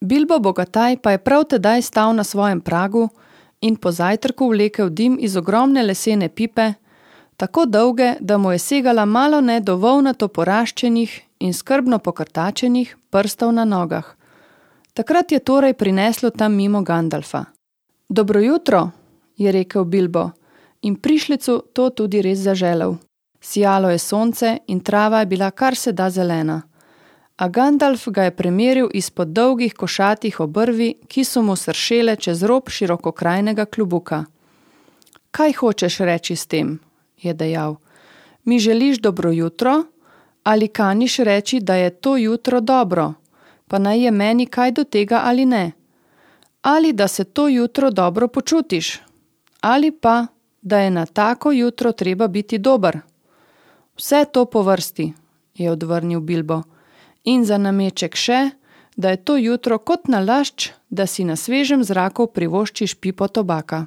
Bilbo Bogataj pa je prav tedaj stal na svojem pragu in po zajtrku vlekel dim iz ogromne lesene pipe, tako dolge, da mu je segala malone do volnato poraščenih in skrbno pokrtačenih prstov na nogah. Takrat je torej prineslo tam mimo Gandalfa. Dobro jutro, je rekel Bilbo, in prišlecu to tudi res zaželel. Sijalo je sonce in trava je bila kar se da zelena. A Gandalf ga je premeril izpod dolgih košatih obrvi, ki so mu sršele čez rob širokokrajnega klobuka. Kaj hočeš reči s tem, je dejal. Mi želiš dobro jutro, ali kaniš reči, da je to jutro dobro, pa naj je meni kaj do tega ali ne? Ali da se to jutro dobro počutiš? Ali pa, da je na tako jutro treba biti dober? Vse to po vrsti, je odvrnil Bilbo. In za nameček še, da je to jutro kot nalašč, da si na svežem zraku privoščiš pipo tobaka.